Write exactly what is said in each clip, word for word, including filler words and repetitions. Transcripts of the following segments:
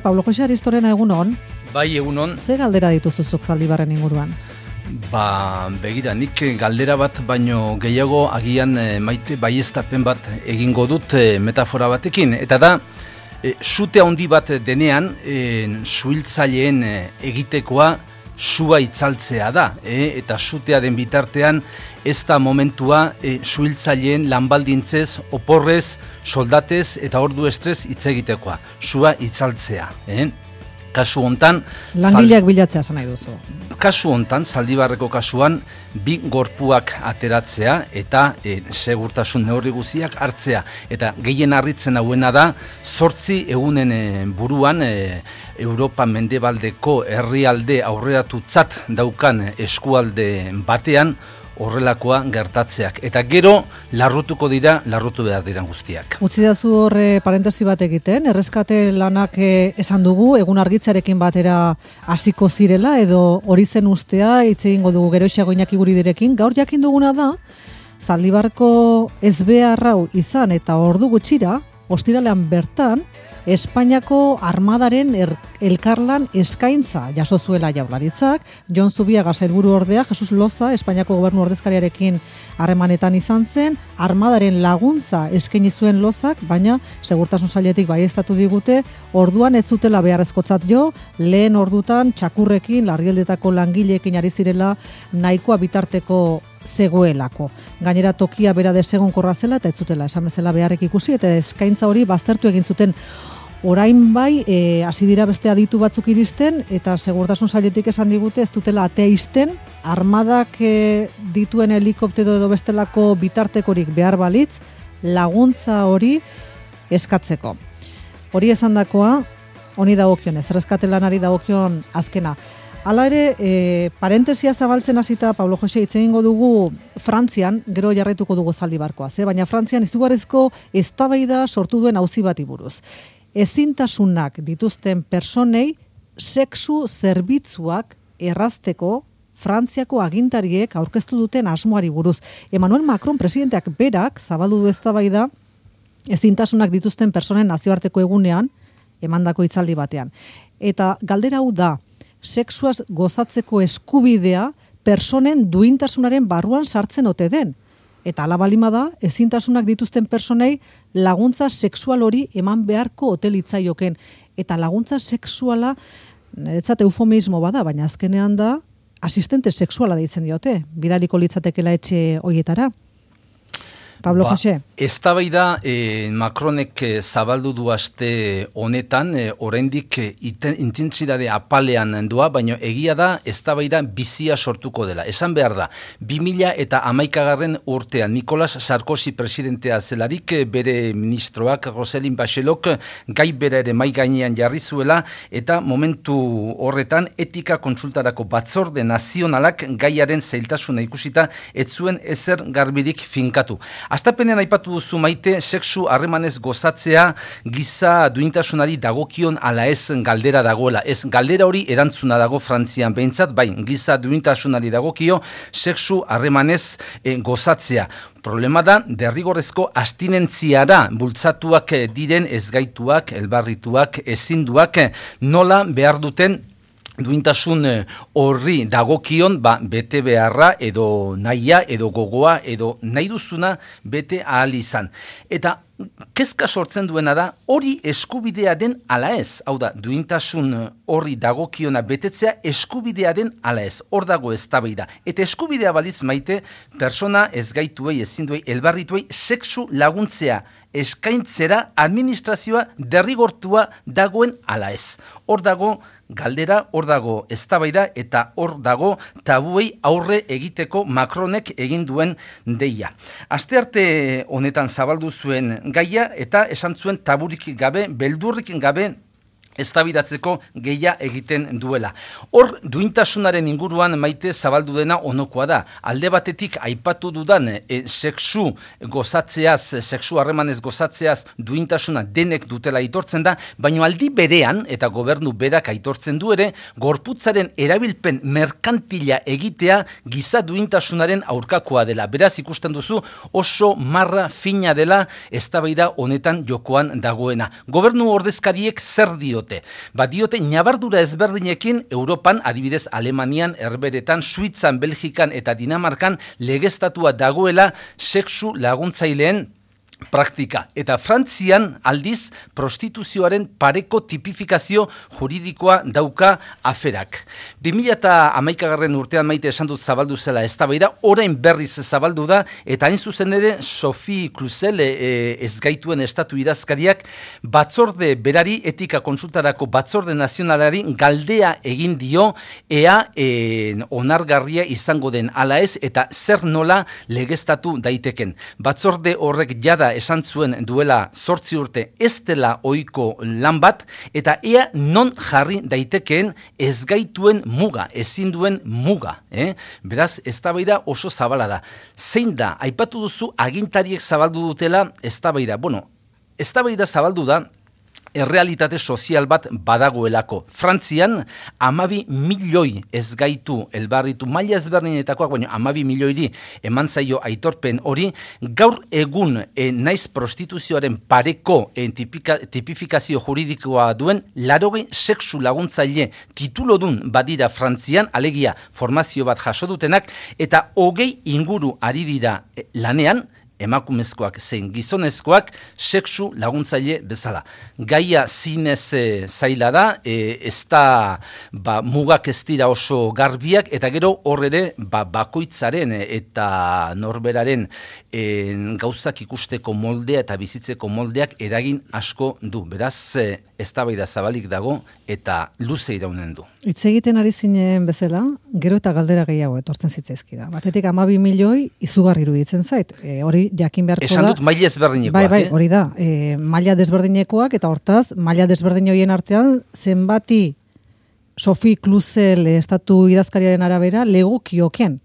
Pablo Jose Aristorena, egunon. Bai, egunon. Ze galdera dituzuzuk Zaldibarren inguruan? Ba, begira, nik galdera bat baino gehiago agian e, maite baieztapen bat egingo dut e, metafora batekin. Eta da, e, sute handi bat denean, e, suhiltzaileen e, egitekoa sua itzaltzea da. E, eta sutea den bitartean, ez da momentua e, suhiltzaileen lanbaldintzez, oporrez, soldatez eta ordu estrez hitz egitekoa. Sua itzaltzea. E? Kasu hontan... Langileak bilatzea zan nahi duzu. Kasu hontan, Zaldibarreko kasuan, bi gorpuak ateratzea eta e, segurtasun neurri guztiak hartzea. Eta gehien harritzen hauena da, zortzi egunen e, buruan e, Europa mendebaldeko herrialde aurreratutzat daukan eskualde batean, horrelakoa gertatzeak. Eta gero, larrutuko dira, larrutu behar diran guztiak. Utzi dazu horre parentesi bat egiten, erreskate lanak eh, esan dugu, egun argitzarekin batera hasiko zirela, edo hori zen ustea, hitz egingo dugu Geroxeago Iñaki Guridirekin. Gaur jakin duguna da, Zaldibarko ezbeharrau izan eta ordu gutxira, ostiralean bertan, Espainiako armadaren er, elkarlan eskaintza jaso zuela Jaurlaritzak. Jon Zubiaga sailburu ordea, Jesus Loza, Espainiako gobernu ordezkariarekin harremanetan izan zen, armadaren laguntza eskaini zuen Lozak, baina segurtasun sailetik baieztatu digute, orduan ez zutela beharrezkotzat jo, lehen ordutan txakurrekin, larrialdetako langileekin ari zirela nahikoa bitarteko zegoelako. Gainera tokia bera desegonkorra zela eta ez zutela esan bezala beharrek ikusi eta eskaintza hori baztertu egin zuten. Orain bai, e, hasi dira beste aditu batzuk iristen eta segurtasun sailetik esan digute ez dutela atea isten, armadak e, dituen helikoptero edo bestelako bitartekorik behar balitz, laguntza hori eskatzeko. Hori esandakoa, honi dagokionez, erreskate lanari dagokion azkena. Hala ere, e, parentesia zabaltzen hasita, Pablo Jose, hitz egingo dugu Frantzian, gero jarraituko dugu Zaldibarkoa, ze? Baina Frantzian izugarrizko eztabaida sortu duen auzi bati buruz. Ezintasunak dituzten personei sexu zerbitzuak errazteko Frantziako agintariek aurkeztu duten asmoari buruz. Emmanuel Macron presidenteak berak zabaldu du eztabaida ezintasunak dituzten personen nazioarteko egunean emandako hitzaldi batean. Eta galdera hau da, sexuaz gozatzeko eskubidea personen duintasunaren barruan sartzen ote den. Eta ala balima da, ezintasunak dituzten personei laguntza sexual hori eman beharko ote litzaioken. Eta laguntza sexuala, niretzat eufemismo bada, baina azkenean da, asistente sexuala deitzen diote, bidaliko litzatekela etxe hoietara. Pablo ba, Jose. Eztabaida e, Macronek e, zabaldu du aste honetan, e, oraindik e, intentsitate apalean doa, baina egia da eztabaida bizia sortuko dela. Esan behar da, bi mila hamaikagarren urtean Nicolas Sarkozy presidentea zelarik, bere ministroak Roselyne Bachelok gai bera ere mai gainean jarri zuela, eta momentu horretan etika kontsultarako batzorde nazionalak gaiaren zailtasuna ikusita ez zuen ezer garbirik finkatu. Astapenean aipatu duzu Maite, sexu harremanez gozatzea giza duintasunari dagokion ala ez galdera dagoela. Ez galdera hori erantzuna dago Frantzian behintzat, bai, giza duintasunari dagokio sexu harremanez e, gozatzea. Problema da, derrigorrezko astinentziara bultzatuak diren ezgaituak, elbarrituak, ezinduak, nola behar duten duintasun horri dagokion, ba, bete beharra edo nahia edo gogoa edo nahi duzuna bete ahal izan. Eta kezka sortzen duena da, hori eskubidea den ala ez. Hau da, duintasun horri dagokiona betetzea eskubidea den ala ez. Hor dago eztabaida. Eta eskubidea balitz Maite, persona ezgaituei, ezinduei, elbarrituei, sexu laguntzea eskaintzera administrazioa derrigortua dagoen ala ez. Hor dago galdera, hor dago eztabaida eta hor dago tabuei aurre egiteko Macronek egin duen deia. Astearte honetan zabaldu zuen gaia eta esan zuen taburik gabe, beldurrik gabe eztabaidatzeko gehia egiten duela. Hor, duintasunaren inguruan Maite zabaldu dena onokoa da. Alde batetik aipatu dudan e, sexu gozatzeaz, sexu harremanez gozatzeaz duintasuna denek dutela aitortzen da, baina aldi berean, eta gobernu berak aitortzen du ere, gorputzaren erabilpen merkantila egitea giza duintasunaren aurkakoa dela. Beraz ikusten duzu oso marra fina dela eztabaida honetan jokoan dagoena. Gobernu ordezkariek zer dio diote. Ba diote ñabardura ezberdinekin Europan, adibidez Alemanian, Herberetan, Suitzan, Belgikan eta Dinamarkan legeztatua dagoela sexu laguntzaileen praktika. Eta Frantzian aldiz prostituzioaren pareko tipifikazio juridikoa dauka aferak. bi mila hamaikagarren urtean Maite esan dut zabaldu zela eztabaida, orain berriz zabaldu da, eta hain zuzen ere Sophie Cluzel e, ezgaituen estatu idazkariak batzorde berari, etika konsultarako batzorde nazionalari galdea egin dio ea e, onargarria izango den ala ez, eta zer nola legeztatu daiteken. Batzorde horrek jada esan zuen duela zortzi urte ez dela ohiko lan bat, eta ea non jarri daitekeen ezgaituen muga, ezin duen muga. Eh? Beraz, eztabaida oso zabala da. Zein da, aipatu duzu agintariek zabaldu dutela eztabaida. Bueno, eztabaida zabaldu da, errealitate sozial bat badagoelako. Frantzian, amabi milioi ezgaitu elbarritu, maila ezberdinetakoak, baina amabi milioiri eman zaio aitorpen hori, gaur egun e, naiz prostituzioaren pareko e, tipika, tipifikazio juridikoa duen, larogei sexu laguntzaile titulodun badira Frantzian, alegia formazio bat jaso dutenak, eta hogei inguru ari dira e, lanean, emakumezkoak zein gizonezkoak sexu laguntzaile bezala. Gaia zinez e, zaila da, e, ez da ba, mugak ez dira oso garbiak, eta gero hor ere ba, bakoitzaren eta norberaren e, gauzak ikusteko moldea eta bizitzeko moldeak eragin asko du. Beraz, e, eztabaida zabalik dago eta luze iraunen du. Hitz egiten ari zinen bezala, gero eta galdera gehiago etortzen zitzaizkida. Batetik amabi milioi izugarri iruditzen zait. E, hori jakin beharko da. Esan dut maila ezberdinekoak. Bai, bai, eh? hori da. E, maila desberdinekoak, eta hortaz, maila desberdin horien artean, zenbati Sophie Cluzel estatu idazkariaren arabera legokioken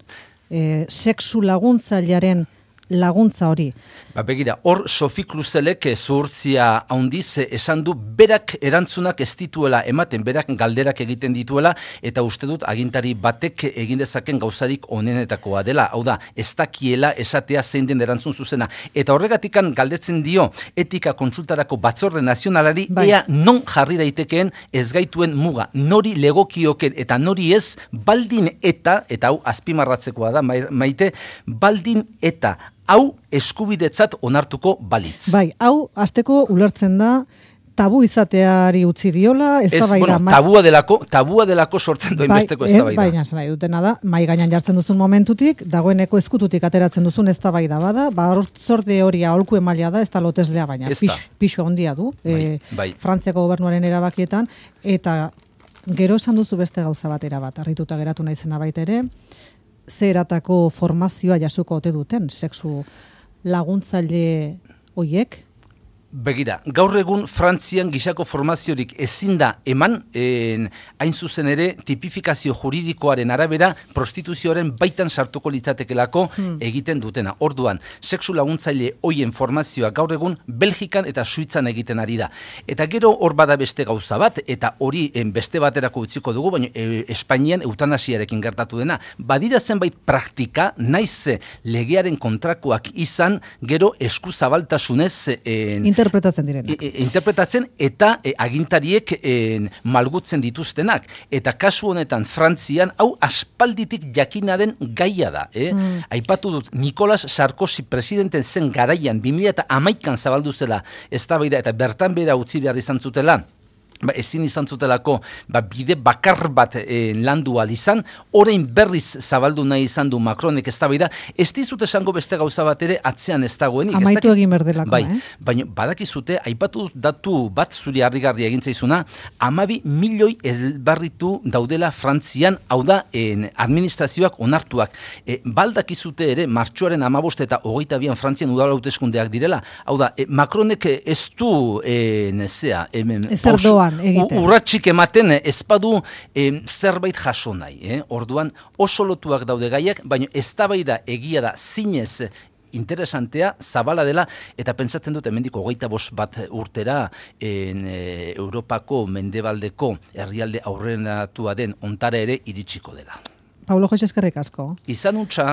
e, sexu laguntzailearen laguntza hori. Ba, begira, hor Sophie Cluzelek zuhurtzia handiz esan du berak erantzunak ez dituela ematen, berak galderak egiten dituela, eta uste dut agintari batek egin dezaken gauzarik onenetakoa dela. Hau da, ez dakiela esatea zein den erantzun zuzena. Eta horregatikan galdetzen dio etika kontsultarako batzorde nazionalari, bai, ea non jarri daitekeen ezgaituen muga, nori legokioken eta nori ez, baldin eta, eta hau azpimarratzekoa da, Maite, baldin eta hau eskubidetzat onartuko balitz. Bai, hau hasteko ulertzen da tabu izateari utzi diola, ez da bai da. Bueno, tabua delako, tabua delako sortzen duen bai, besteko ez da bai da. Baina, nahi dutena da, mai gainan jartzen duzun momentutik, dagoeneko eskututik ateratzen duzun ez da bai da bada, ba, zorde hori aholku emaila da, ez da loteslea, baina pix, pixo ondia du, bai, e, bai. Frantziako gobernuaren erabakietan, eta gero esan duzu beste gauza batera bat, harrituta geratu naizena baita ere, zeratako formazioa jasuko ote duten, sexu laguntzaile hoiek? Begira, gaur egun Frantzian gisako formaziorik ezin da eman, en, hain zuzen ere tipifikazio juridikoaren arabera prostituzioaren baitan sartuko litzatekelako hmm. egiten dutena. Orduan, sexu laguntzaile hoien formazioa gaur egun Belgikan eta Suitzan egiten ari da. Eta gero hor bada beste gauza bat, eta hori en, beste baterako utziko dugu, baina e, Espainian eutanasiarekin gertatu dena. Badira zenbait praktika, naiz legearen kontrakoak izan, gero eskuzabaltasunez en, interpretatzen direnak. E, e, interpretatzen eta e, agintariek e, malgutzen dituztenak. Eta kasu honetan Frantzian, hau aspalditik jakina den gaia da. Eh? Mm. Aipatu dut, Nicolas Sarkozy presidenten zen garaian, bi mila hamaikan zabaldu zela eztabaida eta bertan bera utzi behar izan zutela, ba, ezin izan zutelako ba, bide bakar bat e, landu ahal izan, orain berriz zabaldu nahi izan du Macronek eztabaida, ez dizut esango beste gauza bat ere atzean ez dagoenik. Amaitu egin berdelako, bai, eh? Baina badakizute, aipatu datu bat zuri harrigarri egin zaizuna, amabi milioi elbarritu daudela Frantzian, hau da, en, administrazioak onartuak. E, baldakizute ere, martxoaren amabost eta hogeita bian Frantzian udal hauteskundeak direla, hau da, e, Macronek ez du, e, nezea, ezer doan. Urratxik ematen ezpadu eh, zerbait jaso nahi. Eh? Orduan oso lotuak daude gaiak, baina eztabaida egia da zinez interesantea, zabala dela, eta pentsatzen dut hemendiko hogeita bost bat urtera en, e, Europako mendebaldeko herrialde aurrenatua den ontara ere iritsiko dela. Pablo Jose, eskerrik asko. Izan utza.